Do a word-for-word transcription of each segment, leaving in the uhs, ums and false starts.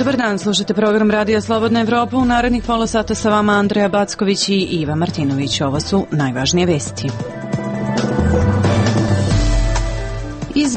Dobar dan, slušate program Radija Slobodna Evropa. U narednih pola sata sa vama Andreja Backović i Iva Martinović. Ovo su najvažnije vesti.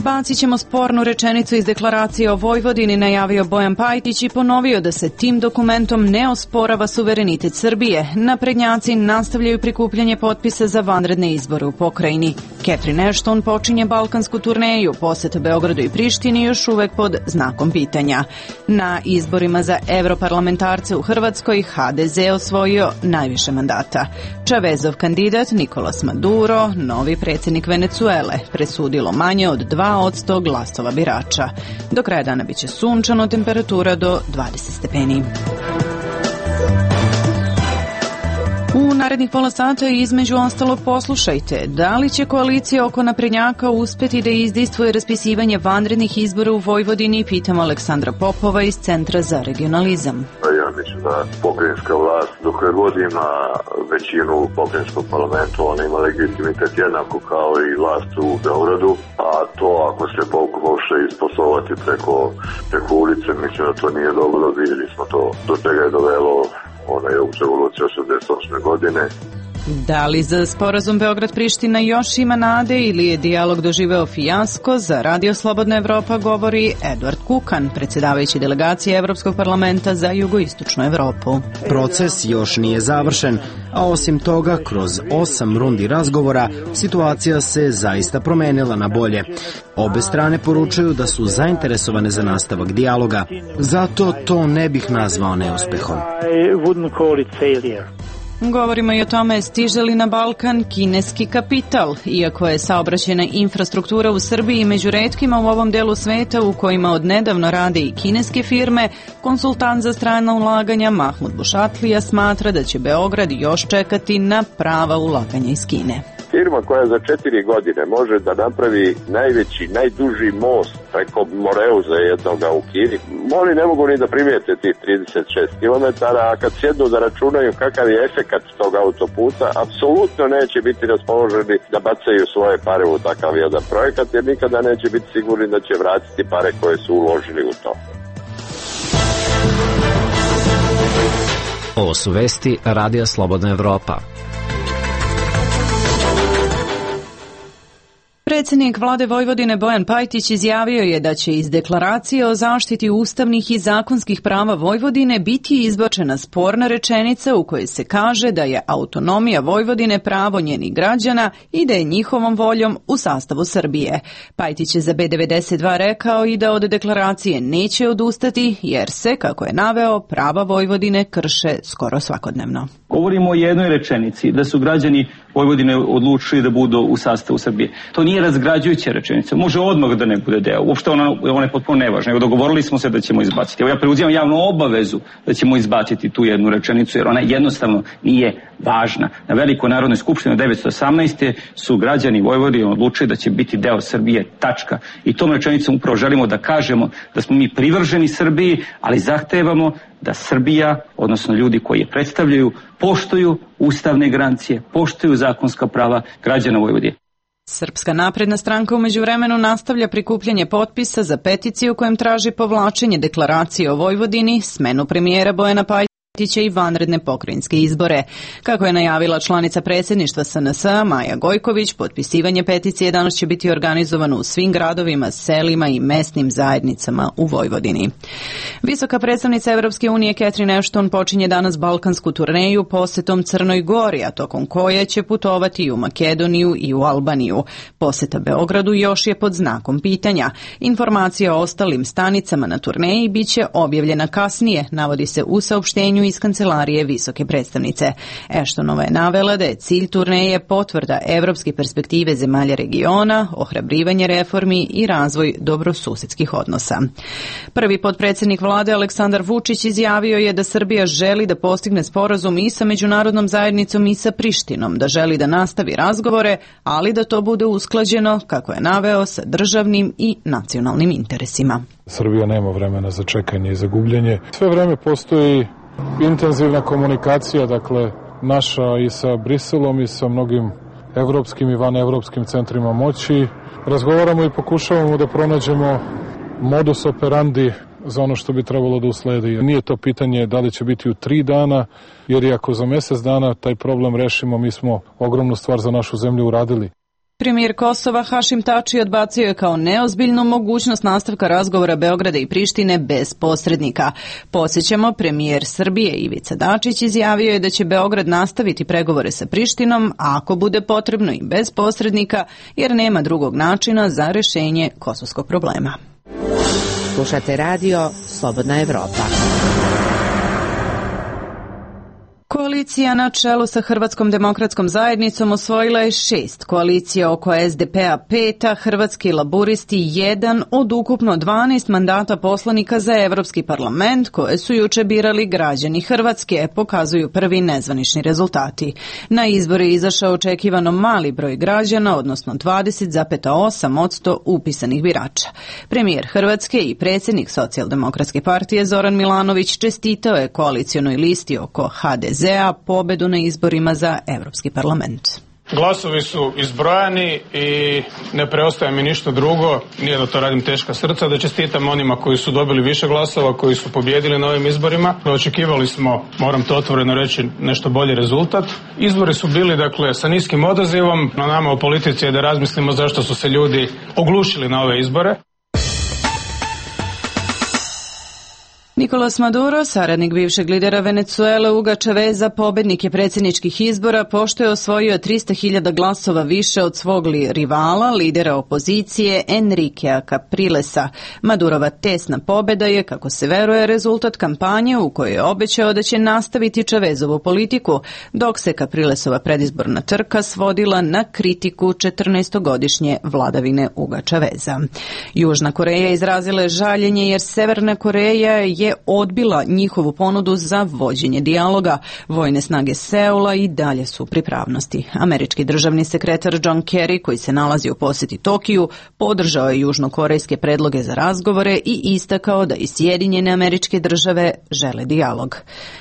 Izbacit ćemo spornu rečenicu iz deklaracije o Vojvodini, najavio Bojan Pajtić i ponovio da se tim dokumentom ne osporava suverenitet Srbije. Naprednjaci nastavljaju prikupljanje potpisa za vanredne izbore u pokrajini. Catherine Ashton počinje balkansku turneju, poseta Beogradu i Prištini još uvek pod znakom pitanja. Na izborima za evroparlamentarce u Hrvatskoj ha de ze osvojio najviše mandata. Čavezov kandidat Nikolas Maduro, novi predsjednik Venecuele, presudilo manje od dva posto glasova birača. Do kraja dana biće sunčano, temperatura do dvadeset stepeni. U narednih pola sata između ostalo poslušajte da li će koalicija oko naprednjaka uspeti da izdejstvuje raspisivanje vanrednih izbora u Vojvodini, pitamo Aleksandra Popova iz Centra za regionalizam. Ja mislim da pokrajinska vlast dok je god ima većinu u pokrajinskom parlamentu, ona ima legitimitet jednako kao i vlast u Beogradu, a to ako se pokuša isposlovati preko, preko ulice, mislim da to nije dobro, vidjeli smo to do čega je dovelo ona je u revoluciji osamdeset osme godine. Da li za sporazum Beograd-Priština još ima nade ili je dijalog doživeo fijasko? Za Radio Slobodna Evropa govori Eduard Kukan, predsjedavajući delegacije Evropskog parlamenta za jugoistočnu Evropu. Proces još nije završen, a osim toga, kroz osam rundi razgovora, situacija se zaista promenila na bolje. Obe strane poručuju da su zainteresovane za nastavak dijaloga, zato to ne bih nazvao neuspehom. Govorimo i o tome stiže li na Balkan kineski kapital. Iako je saobraćajna infrastruktura u Srbiji među retkima u ovom delu sveta u kojima odnedavno rade i kineske firme, konsultant za strana ulaganja Mahmud Bušatlija smatra da će Beograd još čekati na prava ulaganja iz Kine. Firma koja za četiri godine može da napravi najveći, najduži most preko Moreuza jednoga u Kini, oni ne mogu ni da primijete tih trideset šest kilometara, a kad sjednu da računaju kakav je efekat tog autoputa, apsolutno neće biti raspoloženi da bacaju svoje pare u takav jedan projekat, jer nikada neće biti sigurni da će vratiti pare koje su uložili u to. Ovo su vesti Radija Slobodna Evropa. Predsjednik vlade Vojvodine Bojan Pajtić izjavio je da će iz deklaracije o zaštiti ustavnih i zakonskih prava Vojvodine biti izbačena sporna rečenica u kojoj se kaže da je autonomija Vojvodine pravo njenih građana i da je njihovom voljom u sastavu Srbije. Pajtić je za be devedeset dva rekao i da od deklaracije neće odustati jer se, kako je naveo, prava Vojvodine krše skoro svakodnevno. Govorimo o jednoj rečenici, da su građani Vojvodine odlučili da budu u sastavu Srbije. To nije razgrađujuća rečenica, može odmah da ne bude deo, uopšte ona, ona je potpuno nevažna, nego dogovorili smo se da ćemo izbaciti. Evo ja preuzimam javnu obavezu da ćemo izbaciti tu jednu rečenicu, jer ona jednostavno nije važna. Na Velikoj narodnoj skupštini devetsto osamnaeste su građani Vojvodine odlučili da će biti deo Srbije, tačka. I tom rečenicom upravo želimo da kažemo da smo mi privrženi Srbiji, ali zahtevamo da Srbija, odnosno ljudi koji je predstavljaju, poštuju ustavne garancije, poštuju zakonska prava građana Vojvodine. Srpska napredna stranka u međuvremenu nastavlja prikupljanje potpisa za peticiju kojem traži povlačenje deklaracije o Vojvodini, smenu premijera Bojana Pajtića i vanredne pokrajinske izbore. Kako je najavila članica predsjedništva es en es Maja Gojković, potpisivanje peticije danas će biti organizovano u svim gradovima, selima i mesnim zajednicama u Vojvodini. Visoka predstavnica Evropske unije Catherine Ashton počinje danas balkansku turneju posetom Crnoj Gori, a tokom koje će putovati i u Makedoniju i u Albaniju. Poseta Beogradu još je pod znakom pitanja. Informacija o ostalim stanicama na turneji biće objavljena kasnije, navodi se u saopštenju iz kancelarije visoke predstavnice. Ashtonova je navela da je cilj turneje potvrda evropske perspektive zemalja regiona, ohrabrivanje reformi i razvoj dobrosusedskih odnosa. Prvi potpredsjednik vlade Aleksandar Vučić izjavio je da Srbija želi da postigne sporazum i sa međunarodnom zajednicom i sa Prištinom, da želi da nastavi razgovore, ali da to bude usklađeno, kako je naveo, sa državnim i nacionalnim interesima. Srbija nema vremena za čekanje i za gubljenje. Sve vreme postoji intenzivna komunikacija, dakle, naša i sa Briselom i sa mnogim evropskim i vanevropskim centrima moći. Razgovaramo i pokušavamo da pronađemo modus operandi za ono što bi trebalo da usledi. Nije to pitanje da li će biti u tri dana, jer i ako za mjesec dana taj problem rešimo, mi smo ogromnu stvar za našu zemlju uradili. Premijer Kosova Hašim Tači odbacio je kao neozbiljnu mogućnost nastavka razgovora Beograda i Prištine bez posrednika. Podsjećamo, premijer Srbije Ivica Dačić izjavio je da će Beograd nastaviti pregovore sa Prištinom ako bude potrebno i bez posrednika, jer nema drugog načina za rešenje kosovskog problema. Slušate radio Slobodna Evropa. Koalicija na čelu sa Hrvatskom demokratskom zajednicom osvojila je šest, koalicija oko es de pe a peta, Hrvatski laburisti jedan od ukupno dvanaest mandata poslanika za Evropski parlament koje su juče birali građani Hrvatske, pokazuju prvi nezvanični rezultati. Na izbore je izašao očekivano mali broj građana, odnosno dvadeset zarez osam posto upisanih birača. Premijer Hrvatske i predsjednik Socijaldemokratske partije Zoran Milanović čestitao je koalicionoj listi oko ha de ze a pobedu na izborima za Evropski parlament. Glasovi su izbrojani i ne preostaje mi ništa drugo, nije da to radim teška srca, da čestitam onima koji su dobili više glasova, koji su pobjedili na ovim izborima. Očekivali smo, moram to otvoreno reći, nešto bolji rezultat. Izbori su bili, dakle, sa niskim odazivom. Na nama u politici je da razmislimo zašto su se ljudi oglušili na ove izbore. Nicolás Maduro, saradnik bivšeg lidera Venezuele Huga Chaveza, pobednik je predsjedničkih izbora pošto je osvojio trista hiljada glasova više od svog rivala, lidera opozicije Enriquea Caprilesa. Madurova tesna pobeda je, kako se veruje, rezultat kampanje u kojoj je obećao da će nastaviti Chavezovu politiku, dok se Caprilesova predizborna trka svodila na kritiku četrnaestogodišnje vladavine Huga Chaveza. Južna Koreja izrazila je žaljenje jer Severna Koreja je je odbila njihovu ponudu za vođenje dijaloga. Vojne snage Seula i dalje su u pripravnosti. Američki državni sekretar John Kerry, koji se nalazi u posjeti Tokiju, podržao je južnokorejske predloge za razgovore i istakao da i Sjedinjene Američke Države žele dijalog.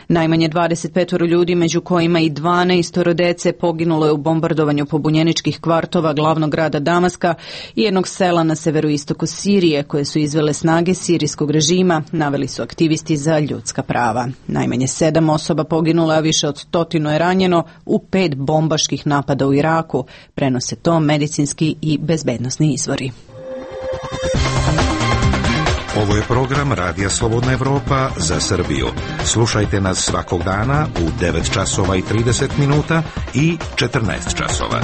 Najmanje dvadeset pet ljudi, među kojima i dvanaest dece, poginulo je u bombardovanju pobunjeničkih kvartova glavnog grada Damaska i jednog sela na severoistoku Sirije koje su izvele snage sirijskog režima, naveli su aktivisti za ljudska prava. Najmanje sedam osoba poginulo, a više od stotinu je ranjeno u pet bombaških napada u Iraku. Prenose to medicinski i bezbednosni izvori. Ovo je program Radija Slobodna Evropa za Srbiju. Slušajte nas svakog dana u devet časova i trideset minuta i četrnaest časova.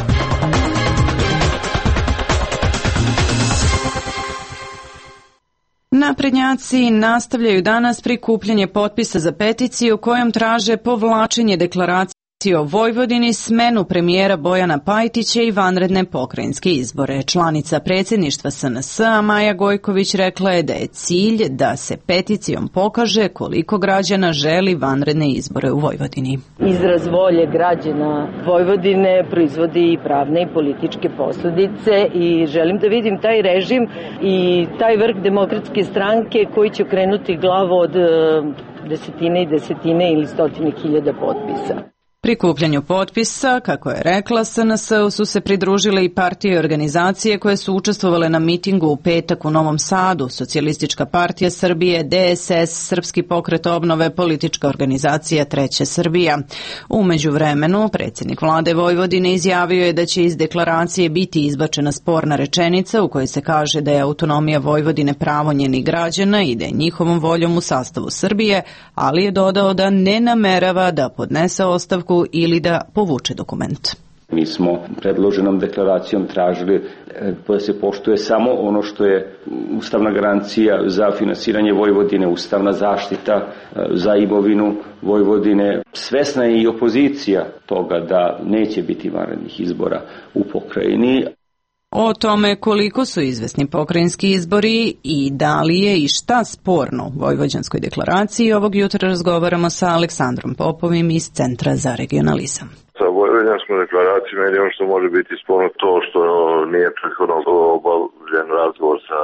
Naprednjaci nastavljaju danas prikupljanje potpisa za peticiju kojom traže povlačenje deklaracije o Vojvodini, smenu premijera Bojana Pajtića i vanredne pokrajinske izbore. Članica predsjedništva es en es a Maja Gojković rekla je da je cilj da se peticijom pokaže koliko građana želi vanredne izbore u Vojvodini. Izraz volje građana Vojvodine proizvodi i pravne i političke posljedice i želim da vidim taj režim i taj vrh demokratske stranke koji će okrenuti glavu od desetine i desetine ili stotine hiljada potpisa. Prikupljanju potpisa, kako je rekla, es en es u su se pridružile i partije i organizacije koje su učestvovale na mitingu u petak u Novom Sadu, Socijalistička partija Srbije, de es es, Srpski pokret obnove, politička organizacija Treća Srbija. U međuvremenu, predsjednik vlade Vojvodine izjavio je da će iz deklaracije biti izbačena sporna rečenica u kojoj se kaže da je autonomija Vojvodine pravo njenih građana i da je njihovom voljom u sastavu Srbije, ali je dodao da ne namerava da podnese ostavku ili da povuče dokument. Mi smo predloženom deklaracijom tražili da se poštuje samo ono što je ustavna garancija za finansiranje Vojvodine, ustavna zaštita za imovinu Vojvodine. Svesna je i opozicija toga da neće biti vanrednih izbora u pokrajini. O tome koliko su izvesni pokrajinski izbori i da li je i šta sporno u Vojvođanskoj deklaraciji, ovog jutra razgovaramo sa Aleksandrom Popovim iz Centra za regionalizam. Sa Vojvođanskom deklaracijom je ono što može biti sporno to što nije prethodno obavljen razgovor sa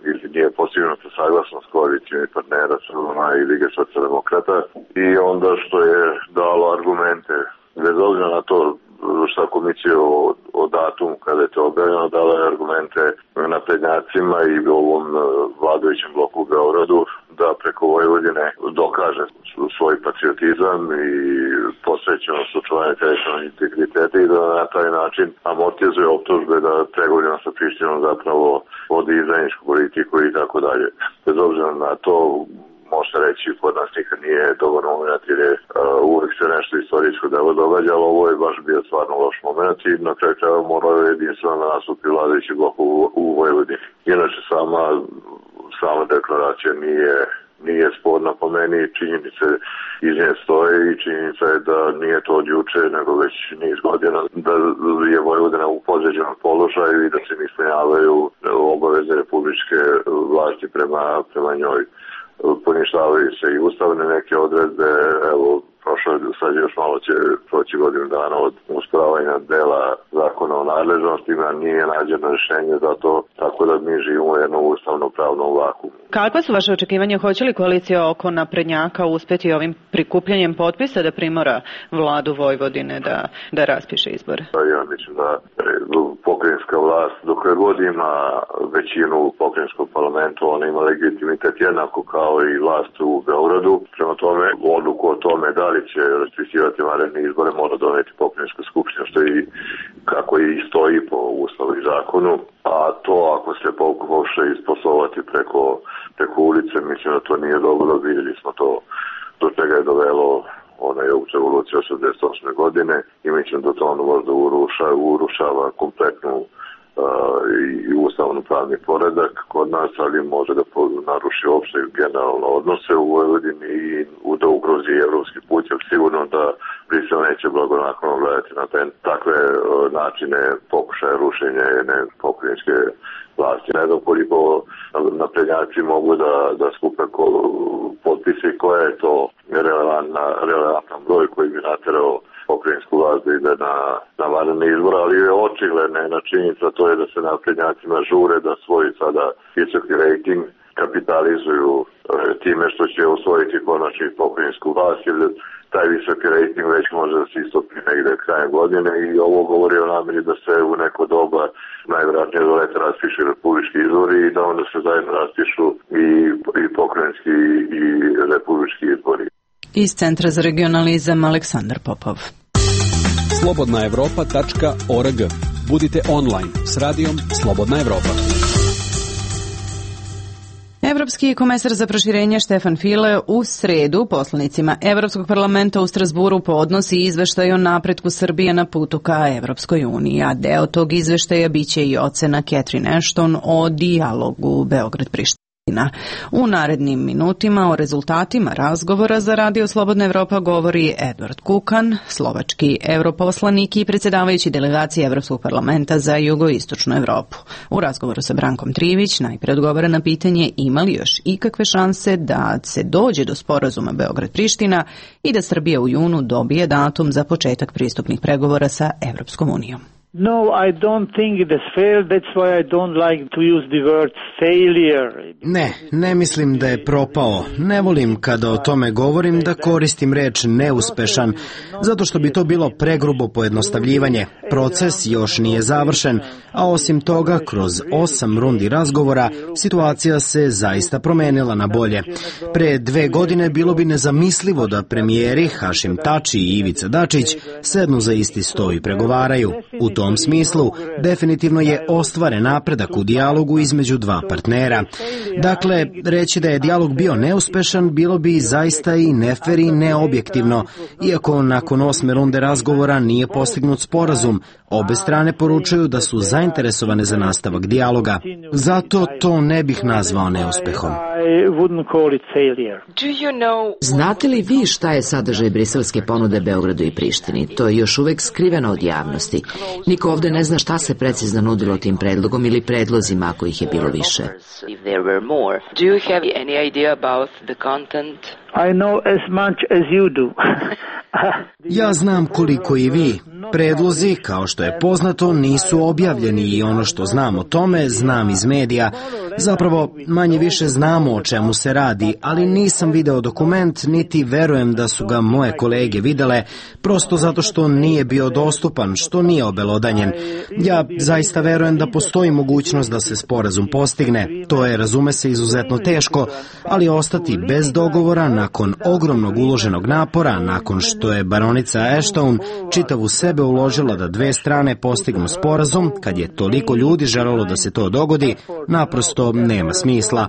ili nije postignuta saglasnost koalicijnih partnera Srbima i Lige socijaldemokrata i onda što je dalo argumente bez obzira na to šta komisija o, o datumu kada je to objavljeno dala je argumente naprednjacima i ovom vladajućem bloku u Beogradu da preko Vojvodine dokaže svoj patriotizam i posvećenost očuvanja teritorijalnog integriteta i da na taj način amortizuje optužbe da pregovorima sa Prištinom zapravo vodi izdajničku politiku i tako dalje. Bez obzira na to, može reći, kod nas nikad nije dobar moment jer je uh, uvek se nešto istorijsko delo događalo, ovo je baš bio stvarno loš moment i na kraju treba morao jedinstveno da nastupi vladajući blok u, u Vojvodini. Inače, sama, sama deklaracija nije, nije sporna po meni, činjenice iz nje stoje i činjenica je da nije to od juče, nego već niz godina, da je Vojvodina u podređenom položaju i da se ne ispunjavaju obaveze republičke vlasti prema, prema njoj. Poništavaju se i ustavne neke odredbe, evo, prošlo je, sad još malo će proći godinu dana od usporavanja dela zakona o nadležnostima, nije nađeno rješenje za to, tako da mi živimo u jednom ustavno-pravnom vakuumu. Kakva su vaše očekivanja? Hoće li koalicija oko naprednjaka uspeti ovim prikupljanjem potpisa da primora vladu Vojvodine da, da raspiše izbore? Ja mislim da pokrajinska vlast, dok je god ima većinu u pokrajinskom parlamentu, ona ima legitimitet jednako kao i vlast u Beogradu. Prema tome, odluku o tome da li će raspisivati vanredne izbore mora doneti pokrajinska skupština, što i kako i stoji po ustavu i zakonu. A to ako se pokuša isposlovati preko, preko ulice, mislim da to nije dobro. Vidjeli smo to do čega je dovelo onaj revolucija osamdeset osme godine i mislim da to ono možda uruša, urušava kompletnu uh, i ustavno pravni poredak kod nas, ali može da naruši opšte generalno odnose u Vojvodini i da ugrozi evropski put, jer sigurno da Brisel neće blagonaklono gledati na te, takve uh, načine pokušaja rušenja jedne pokrajinske vlasti. Ne znam koliko naprednjaci mogu da, da skupe ko, potpise i koja je to relevantan broj koji bi naterao pokrajinsku vlast da ide na, na vanredne izbore, ali je očigledna jedna činjenica, to je da se naprednjacima žure da svoj sada visoki rejting kapitalizuju e, time što će osvojiti konačni pokrajinsku vlast, jer taj visoki rejting već može da se istopi negde krajem godine i ovo govori o nameri da se u neko doba najvjerojatnije do leta raspišu republički izbori i da onda se zajedno raspišu i, i pokrajinski i republički izbori. Iz Centra za regionalizam Aleksandar Popov. slobodna evropa tačka org. Budite online s radijom Slobodna Evropa. Evropski komesar za proširenje Štefan File u sredu poslanicima Evropskog parlamenta u Strasburu podnosi izveštaj o napretku Srbije na putu ka Evropskoj uniji, a deo tog izveštaja biće i ocena Catherine Ashton o dijalogu Beograd-Priština. U narednim minutima o rezultatima razgovora za Radio Slobodna Evropa govori Edvard Kukan, slovački europoslanik i predsjedavajući delegacije Evropskog parlamenta za jugoistočnu Evropu. U razgovoru sa Brankom Trivić najprije odgovara na pitanje ima li još ikakve šanse da se dođe do sporazuma Beograd-Priština i da Srbija u junu dobije datum za početak pristupnih pregovora sa Evropskom unijom. No, I don't think it has failed. That's why I don't like to use the word failure. Ne, ne mislim da je propao. Ne volim kada o tome govorim da koristim reč neuspešan, zato što bi to bilo pregrubo pojednostavljivanje. Proces još nije završen, a osim toga, kroz osam rundi razgovora, situacija se zaista promenila na bolje. Pre dve godine bilo bi nezamislivo da premijeri Hašim Tači i Ivica Dačić sednu za isti sto i pregovaraju. U tom U tom smislu, definitivno je ostvaren napredak u dijalogu između dva partnera. Dakle, reći da je dijalog bio neuspešan bilo bi zaista i nefer i neobjektivno, iako nakon osme runde razgovora nije postignut sporazum. Obe strane poručuju da su zainteresovane za nastavak dijaloga. Zato to ne bih nazvao neuspehom. Znate li vi šta je sadržaj briselske ponude Beogradu i Prištini? To je još uvek skriveno od javnosti. Niko ovde ne zna šta se precizno nudilo tim predlogom ili predlozima ako ih je bilo više. I know as much as you do. Ja znam koliko i vi. Predlozi, kao što je poznato, nisu objavljeni i ono što znam o tome, znam iz medija. Zapravo, manje više znamo o čemu se radi, ali nisam video dokument, niti verujem da su ga moje kolege videle, prosto zato što nije bio dostupan, što nije obelodanjen. Ja zaista verujem da postoji mogućnost da se sporazum postigne. To je, razume se, izuzetno teško, ali ostati bez dogovora nakon ogromnog uloženog napora, nakon što je baronica Ashton čitavu sebe uložila da dve strane postignu sporazum, kad je toliko ljudi želelo da se to dogodi, naprosto nema smisla.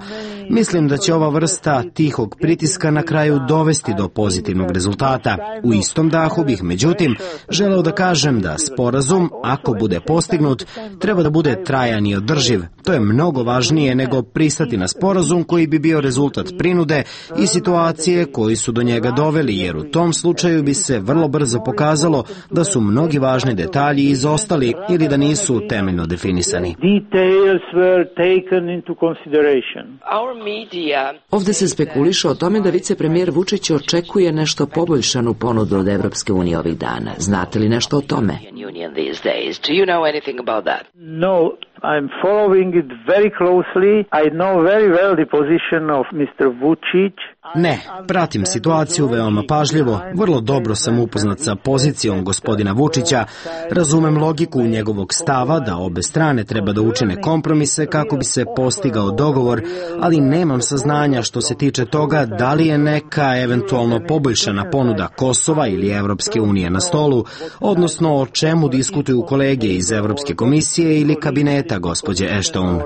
Mislim da će ova vrsta tihog pritiska na kraju dovesti do pozitivnog rezultata. U istom dahu bih, međutim, želeo da kažem da sporazum, ako bude postignut, treba da bude trajan i održiv. To je mnogo važnije nego pristati na sporazum koji bi bio rezultat prinude i situacije koji su do njega doveli, jer u tom slučaju bi se vrlo brzo pokazalo da su mnogi važni detalji izostali ili da nisu temeljno definisani. Ovde se spekuliše o tome da vicepremijer Vučić očekuje nešto poboljšanu ponudu od Evropske unije ovih dana. Znate li nešto o tome? No, I'm following it very closely. I know very well the position of mister Vučić. Ne, pratim situaciju veoma pažljivo, vrlo dobro sam upoznat sa pozicijom gospodina Vučića, razumem logiku njegovog stava da obe strane treba da učine kompromise kako bi se postigao dogovor, ali nemam saznanja što se tiče toga da li je neka eventualno poboljšana ponuda Kosova ili Evropske unije na stolu, odnosno o čemu diskutuju kolege iz Evropske komisije ili kabineta gospođe Ashton.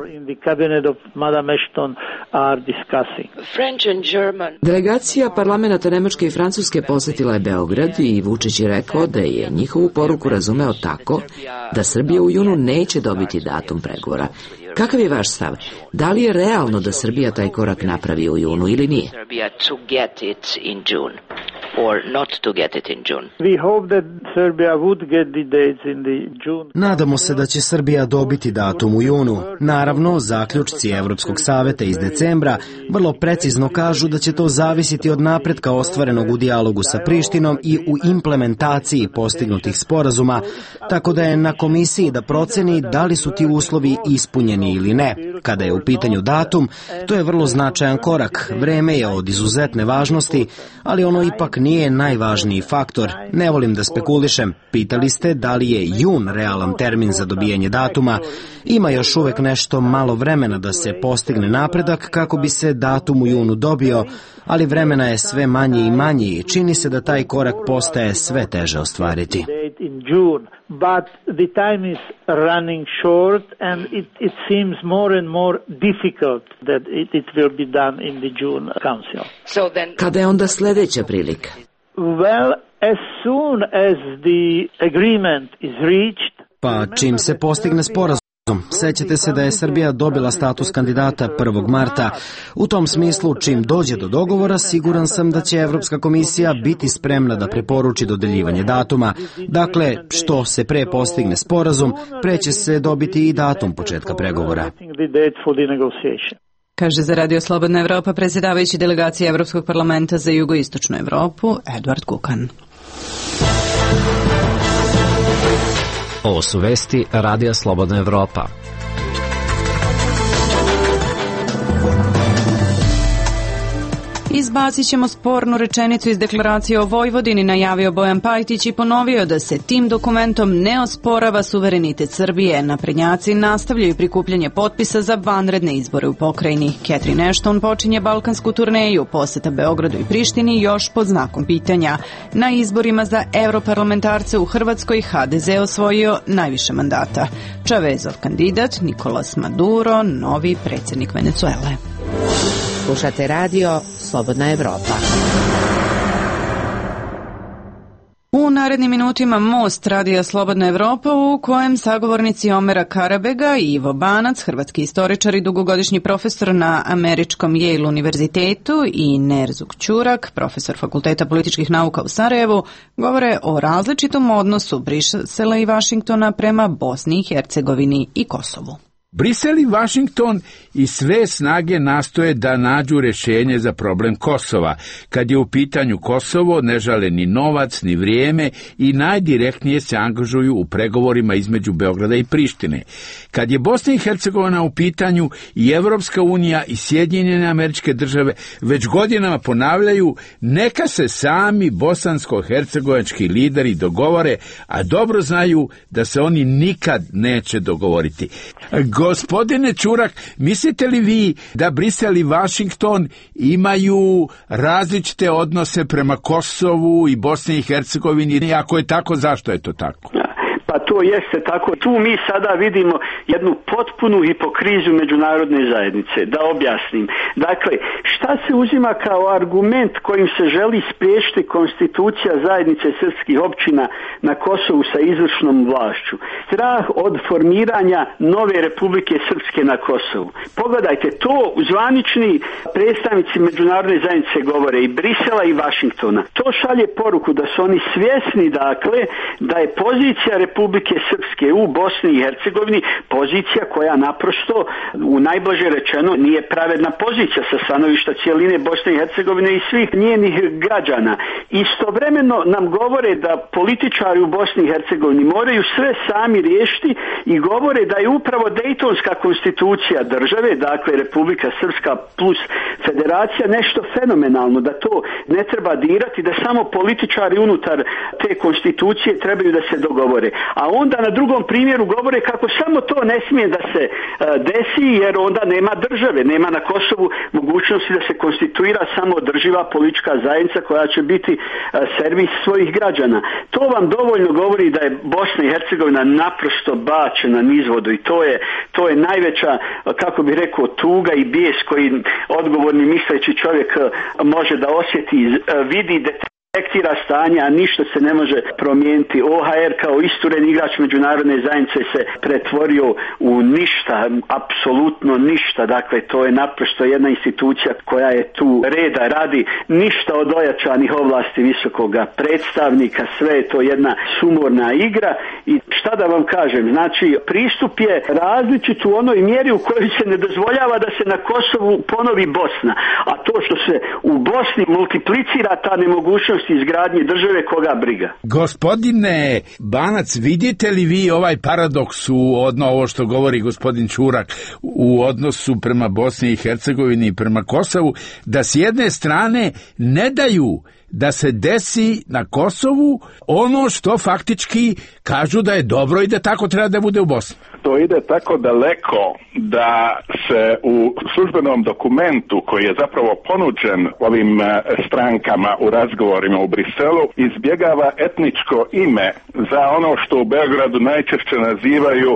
Delegacija parlamenta Nemačke i Francuske posetila je Beograd i Vučić je rekao da je njihovu poruku razumeo tako da Srbija u junu neće dobiti datum pregovora. Kakav je vaš stav? Da li je realno da Srbija taj korak napravi u junu ili nije? Nadamo se da će Srbija dobiti datum u junu. Naravno, zaključci Evropskog saveta iz decembra vrlo precizno kažu da će to zavisiti od napretka ostvarenog u dijalogu sa Prištinom i u implementaciji postignutih sporazuma, tako da je na komisiji da proceni da li su ti uslovi ispunjeni ili ne. Kada je u pitanju datum, to je vrlo značajan korak. Vreme je od izuzetne važnosti, ali ono ipak nije najvažniji faktor. Ne volim da spekulišem. Pitali ste da li je jun realan termin za dobijanje datuma. Ima još uvek nešto malo vremena da se postigne napredak kako bi se datum u junu dobio, ali vremena je sve manje i manje i čini se da taj korak postaje sve teže ostvariti. But the time is running short and it, it seems more and more difficult that it, it will be done in the June Council. So then... Kada je onda sljedeća prilika? Well, as soon as the agreement is reached... Pa čim se postigne sporazum. Sećate se da je Srbija dobila status kandidata prvog marta. U tom smislu, čim dođe do dogovora, siguran sam da će Evropska komisija biti spremna da preporuči dodeljivanje datuma. Dakle, što se pre postigne sporazum, pre će se dobiti i datum početka pregovora. Kaže za Radio Slobodna Evropa predsjedavajući delegacije Evropskog parlamenta za jugoistočnu Evropu, Edvard Kukan. Ovo su vesti Radija Slobodna Evropa. Izbacit ćemo spornu rečenicu iz deklaracije o Vojvodini, najavio Bojan Pajtić i ponovio da se tim dokumentom ne osporava suverenitet Srbije. Naprednjaci nastavljaju prikupljanje potpisa za vanredne izbore u pokrajini. Catherine Ashton počinje balkansku turneju, poseta Beogradu i Prištini još pod znakom pitanja. Na izborima za europarlamentarce u Hrvatskoj ha de ze osvojio najviše mandata. Čavezov kandidat Nikolas Maduro, novi predsjednik Venecuele. Slušate radio Slobodna Evropa. U narednim minutima Most Radija Slobodna Evropa u kojem sagovornici Omera Karabega i Ivo Banac, hrvatski istoričar i dugogodišnji profesor na američkom Yale univerzitetu i Nerzuk Ćurak, profesor Fakulteta političkih nauka u Sarajevu, govore o različitom odnosu Brisela i Vašingtona prema Bosni i Hercegovini i Kosovu. Brisel i Vašington i sve snage nastoje da nađu rješenje za problem Kosova. Kad je u pitanju Kosovo, ne žale ni novac, ni vrijeme i najdirektnije se angažuju u pregovorima između Beograda i Prištine. Kad je Bosna i Hercegovina u pitanju, i Evropska unija i Sjedinjene Američke Države već godinama ponavljaju neka se sami bosansko-hercegovački lideri dogovore, a dobro znaju da se oni nikad neće dogovoriti. Gospodine Čurak, mislite li vi da Brisel i Vašington imaju različite odnose prema Kosovu i Bosni i Hercegovini? Ako je tako, zašto je to tako? Pa to jeste tako. Tu mi sada vidimo jednu potpunu hipokrizu međunarodne zajednice. Da objasnim. Dakle, šta se uzima kao argument kojim se želi spriječiti konstitucija zajednice srpskih općina na Kosovu sa izvršnom vlašću? Strah od formiranja nove Republike Srpske na Kosovu. Pogledajte, to zvanični predstavnici međunarodne zajednice govore, i Brisela i Vašingtona. To šalje poruku da su oni svjesni, dakle, da je pozicija Republike Republike Srpske u Bosni i Hercegovini pozicija koja naprosto, u najblaže rečeno, nije pravedna pozicija sa stanovišta cijeline Bosne i Hercegovine i svih njenih građana. Istovremeno nam govore da političari u Bosni i Hercegovini moraju sve sami riješiti i govore da je upravo Dejtonska konstitucija države, dakle Republika Srpska plus federacija, nešto fenomenalno, da to ne treba dirati, da samo političari unutar te konstitucije trebaju da se dogovore. A onda na drugom primjeru govore kako samo to ne smije da se uh, desi, jer onda nema države, nema na Kosovu mogućnosti da se konstituira samo održiva politička zajednica koja će biti uh, servis svojih građana. To vam dovoljno govori da je Bosna i Hercegovina naprosto bačena nizvodu i to je, to je najveća, kako bi rekao, tuga i bijes koji odgovorni misleći čovjek uh, može da osjeti, uh, vidi detalje, detektira stanje, a ništa se ne može promijeniti. O H R kao isturen igrač međunarodne zajednice se pretvorio u ništa, apsolutno ništa. Dakle, to je naprosto jedna institucija koja je tu reda radi, ništa od ojačanih ovlasti visokoga predstavnika, sve je to jedna sumorna igra i šta da vam kažem, znači pristup je različit u onoj mjeri u kojoj se ne dozvoljava da se na Kosovu ponovi Bosna, a to što se u Bosni multiplicira ta nemogućnost izgradnje države, koga briga. Gospodine Banac, vidite li vi ovaj paradoks u odno ovo što govori gospodin Čurak u odnosu prema Bosni i Hercegovini i prema Kosovu, da s jedne strane ne daju da se desi na Kosovu ono što faktički kažu da je dobro i da tako treba da bude u Bosni? To ide tako daleko da se u službenom dokumentu koji je zapravo ponuđen ovim strankama u razgovorima u Briselu izbjegava etničko ime za ono što u Beogradu najčešće nazivaju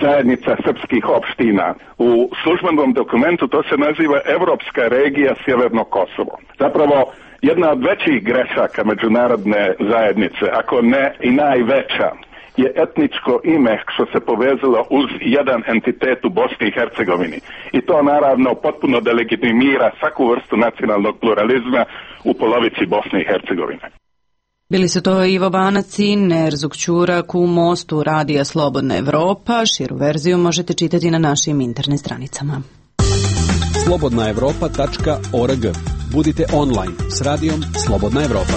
zajednica srpskih opština. U službenom dokumentu to se naziva Evropska regija Sjeverno Kosovo. Zapravo jedna od većih grešaka međunarodne zajednice, ako ne i najveća, je etničko ime što se povezalo uz jedan entitet u Bosni i Hercegovini. I to naravno potpuno delegitimira svaku vrstu nacionalnog pluralizma u polovici Bosne i Hercegovine. Bili su to Ivo Banac i Nerzuk Ćurak u Mostu Radija Slobodna Evropa. Širu verziju možete čitati na našim internet stranicama. slobodna evropa tačka org. Budite online s radijom Slobodna Evropa.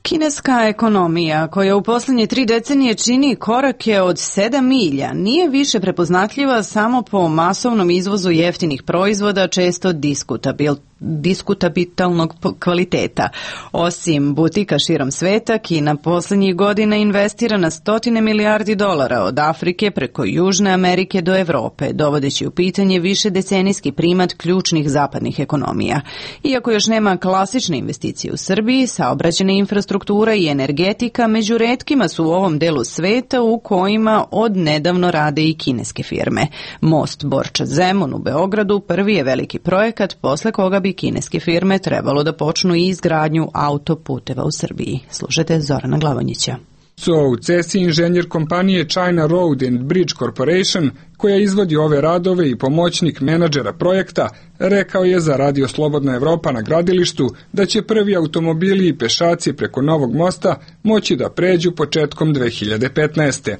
Kineska ekonomija, koja u posljednje tri decenije čini korake od sedam milja, nije više prepoznatljiva samo po masovnom izvozu jeftinih proizvoda, često diskutabil, diskutabilnog kvaliteta. Osim butika širom sveta, Kina posljednjih godina investira na stotine milijardi dolara od Afrike preko Južne Amerike do Evrope, dovodeći u pitanje više decenijski primat ključnih zapadnih ekonomija. Iako još nema klasične investicije u Srbiji, saobraćajna infrastruktura i energetika među retkima su u ovom delu sveta u kojima od nedavno rade i kineske firme. Most Borča-Zemun u Beogradu prvi je veliki projekat posle koga bi kineske firme trebalo da počnu i izgradnju autoputeva u Srbiji. Slušajte Zorana Glavonjića. Su u cesti inženjer kompanije China Road and Bridge Corporation, koja izvodi ove radove i pomoćnik menadžera projekta, rekao je za Radio Slobodna Evropa na gradilištu da će prvi automobili i pešaci preko novog mosta moći da pređu početkom dve hiljade petnaeste.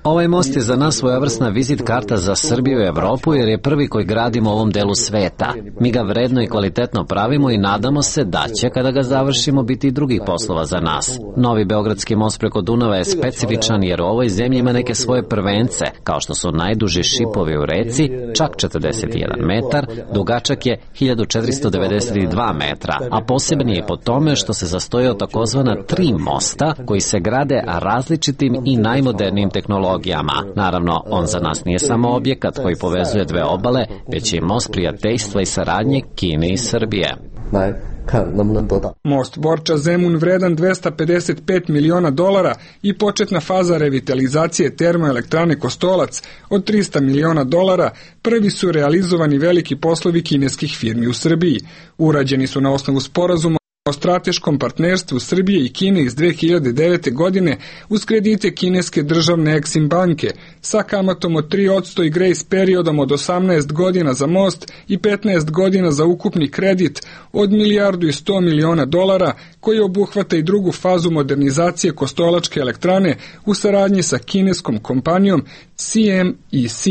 Ovaj most je za nas svojevrsna vizit karta za Srbiju i Evropu jer je prvi koji gradimo u ovom delu sveta. Mi ga vredno i kvalitetno pravimo i nadamo se da će, kada ga završimo, biti i drugih poslova za nas. Novi Beogradski most preko Dunava je specifičan jer u ovoj zemlji ima neke svoje prvence, kao što su najduži šipovi u reci, čak četrdeset jedan metar, dugačak je hiljadu četiristo devedeset dva metra, a poseban je po tome što se sastoji od takozvana tri mosta koji se grade različitim i najmodernijim tehnologijama. Naravno, on za nas nije samo objekat koji povezuje dve obale, već i most prijateljstva i saradnje Kine i Srbije. Most Borča-Zemun vredan dvesta pedeset pet miliona dolara i početna faza revitalizacije termoelektrane Kostolac od trista miliona dolara prvi su realizovani veliki poslovi kineskih firmi u Srbiji. Urađeni su na osnovu sporazuma o strateškom partnerstvu Srbije i Kine iz dve hiljade devete. godine uz kredite kineske državne Exim banke sa kamatom od tri posto i grace periodom od osamnaest godina za most i petnaest godina za ukupni kredit od milijardu i sto miliona dolara koji obuhvata i drugu fazu modernizacije Kostolačke elektrane u saradnji sa kineskom kompanijom C M E C.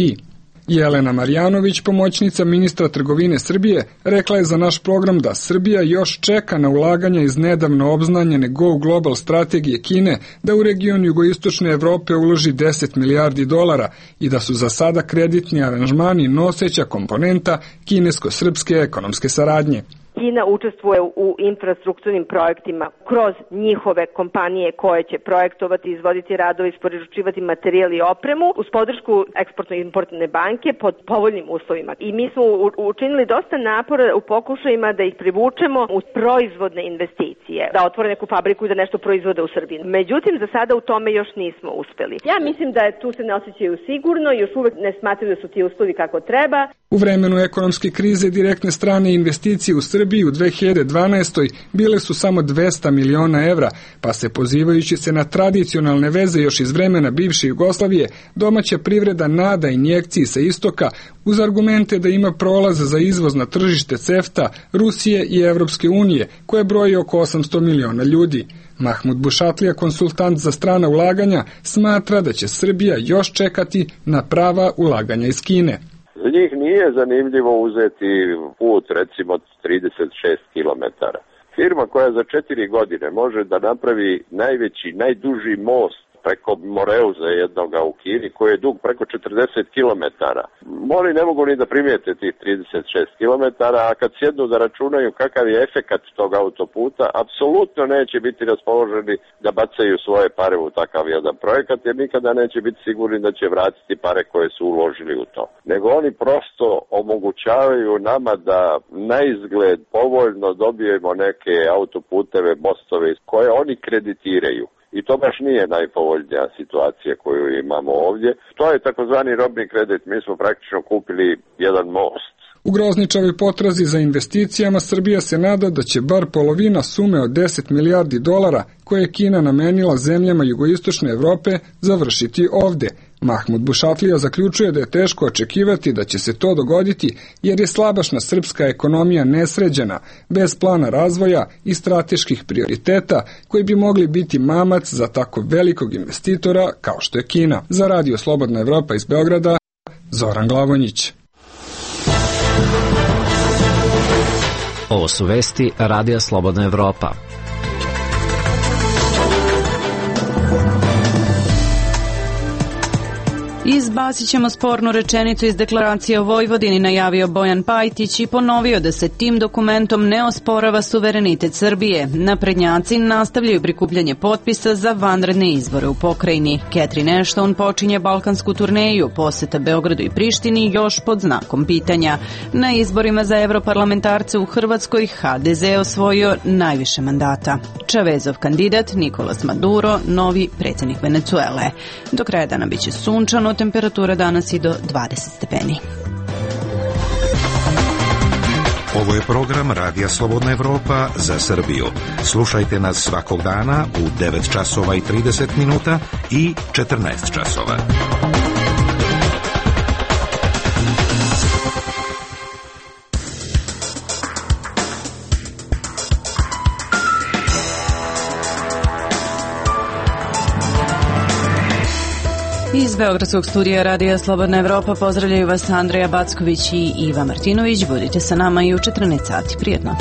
Jelena Marjanović, pomoćnica ministra trgovine Srbije, rekla je za naš program da Srbija još čeka na ulaganja iz nedavno obznanjene Go Global strategije Kine da u region jugoistočne Evrope uloži deset milijardi dolara i da su za sada kreditni aranžmani noseća komponenta kinesko-srpske ekonomske saradnje. Kina učestvuje u infrastrukturnim projektima kroz njihove kompanije koje će projektovati, izvoditi radove, isporučivati materijal i opremu uz podršku eksportno-importne banke pod povoljnim uslovima. I mi smo učinili dosta napora u pokušajima da ih privučemo u proizvodne investicije, da otvore neku fabriku i da nešto proizvode u Srbiji. Međutim, za sada u tome još nismo uspeli. Ja mislim da je tu se ne osjećaju sigurno, još uvek ne smatraju da su ti uslovi kako treba. U vremenu ekonomske krize direktne strane investicije u Srbiji u dve hiljade dvanaestoj. bile su samo dvesta miliona evra, pa se pozivajući se na tradicionalne veze još iz vremena bivše Jugoslavije, domaća privreda nada injekciji sa istoka uz argumente da ima prolaz za izvoz na tržište CEFTA, Rusije i Evropske unije, koje broji oko osamsto miliona ljudi. Mahmud Bušatlija, konsultant za strana ulaganja, smatra da će Srbija još čekati na prava ulaganja iz Kine. Za njih nije zanimljivo uzeti put recimo trideset šest kilometara. Firma koja za četiri godine može da napravi najveći, najduži most preko Moreuza jednoga u Kini, koji je dug preko četrdeset kilometara. Oni ne mogu ni da primijete tih trideset šest kilometara, a kad sjednu da računaju kakav je efekat tog autoputa, apsolutno neće biti raspoloženi da bacaju svoje pare u takav jedan projekat, jer nikada neće biti sigurni da će vratiti pare koje su uložili u to. Nego oni prosto omogućavaju nama da na izgled povoljno dobijemo neke autoputeve, mostove koje oni kreditiraju. I to baš nije najpovoljnija situacija koju imamo ovdje. To je takozvani robni kredit. Mi smo praktično kupili jedan most. U grozničavoj potrazi za investicijama Srbija se nada da će bar polovina sume od deset milijardi dolara koje je Kina namenila zemljama jugoistočne Evrope završiti ovde. Mahmud Bušatlija zaključuje da je teško očekivati da će se to dogoditi jer je slabašna srpska ekonomija nesređena, bez plana razvoja i strateških prioriteta koji bi mogli biti mamac za tako velikog investitora kao što je Kina. Za Radio Slobodna Evropa iz Beograda, Zoran Glavonjić. Ovo su vesti Radija Slobodna Evropa. Izbacit ćemo spornu rečenicu iz deklaracije o Vojvodini, najavio Bojan Pajtić i ponovio da se tim dokumentom ne osporava suverenitet Srbije. Naprednjaci nastavljaju prikupljanje potpisa za vanredne izbore u pokrajini. Catherine Ashton počinje balkansku turneju, poseta Beogradu i Prištini još pod znakom pitanja. Na izborima za evroparlamentarce u Hrvatskoj H D Z osvojio najviše mandata. Čavezov kandidat Nikolas Maduro, novi predsjednik Venecuele. Do kraja dana biće sunčano, temperatura danas i do dvadeset stepeni. Ovo je program Radija Slobodna Evropa za Srbiju. Slušajte nas svakog dana u devet časova i trideset minuta i četrnaest časova. Iz Beogradskog studija Radija Slobodna Evropa pozdravljaju vas Andreja Backović i Iva Martinović. Budite sa nama i u četrnaest sati. Prijetno.